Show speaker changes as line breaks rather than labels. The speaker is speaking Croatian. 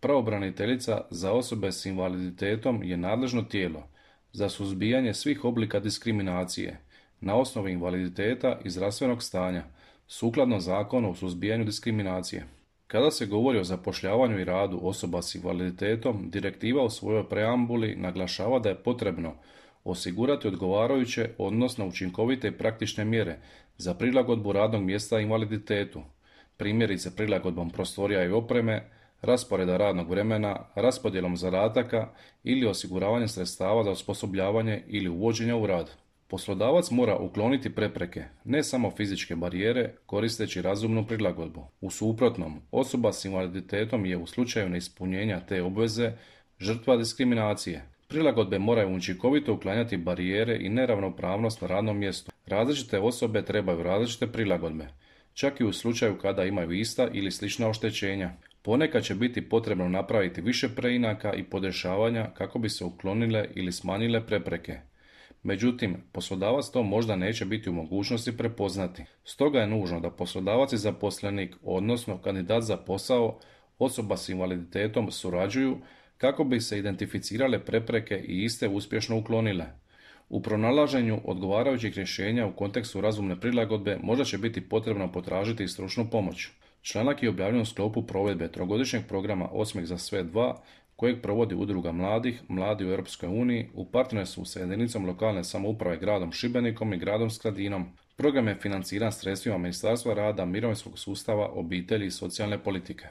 Pravobraniteljica za osobe s invaliditetom je nadležno tijelo za suzbijanje svih oblika diskriminacije na osnovi invaliditeta i zdravstvenog stanja, sukladno Zakonu o suzbijanju diskriminacije. Kada se govori o zapošljavanju i radu osoba s invaliditetom, direktiva u svojoj preambuli naglašava da je potrebno osigurati odgovarajuće, odnosno učinkovite i praktične mjere za prilagodbu radnog mjesta invaliditetu, primjerice prilagodbom prostorija i opreme, rasporeda radnog vremena, raspodjelom zadataka ili osiguravanjem sredstava za osposobljavanje ili uvođenja u rad. Poslodavac mora ukloniti prepreke, ne samo fizičke barijere, koristeći razumnu prilagodbu. U suprotnom, osoba s invaliditetom je u slučaju neispunjenja te obveze žrtva diskriminacije. Prilagodbe moraju učinkovito uklanjati barijere i neravnopravnost na radnom mjestu. Različite osobe trebaju različite prilagodbe, čak i u slučaju kada imaju ista ili slična oštećenja. Ponekad će biti potrebno napraviti više preinaka i podešavanja kako bi se uklonile ili smanjile prepreke. Međutim, poslodavac to možda neće biti u mogućnosti prepoznati. Stoga je nužno da poslodavac i zaposlenik, odnosno kandidat za posao, osoba s invaliditetom surađuju kako bi se identificirale prepreke i iste uspješno uklonile. U pronalaženju odgovarajućih rješenja u kontekstu razumne prilagodbe možda će biti potrebno potražiti i stručnu pomoć. Članak je objavljen u sklopu provedbe trogodišnjeg programa Osmijeh za sve 2, kojeg provodi Udruga mladih, Mladi u Europskoj uniji, u partnerstvu sa jedinicom lokalne samouprave gradom Šibenikom i gradom Skradinom. Program je financiran sredstvima Ministarstva rada, mirovinskog sustava, obitelji i socijalne politike.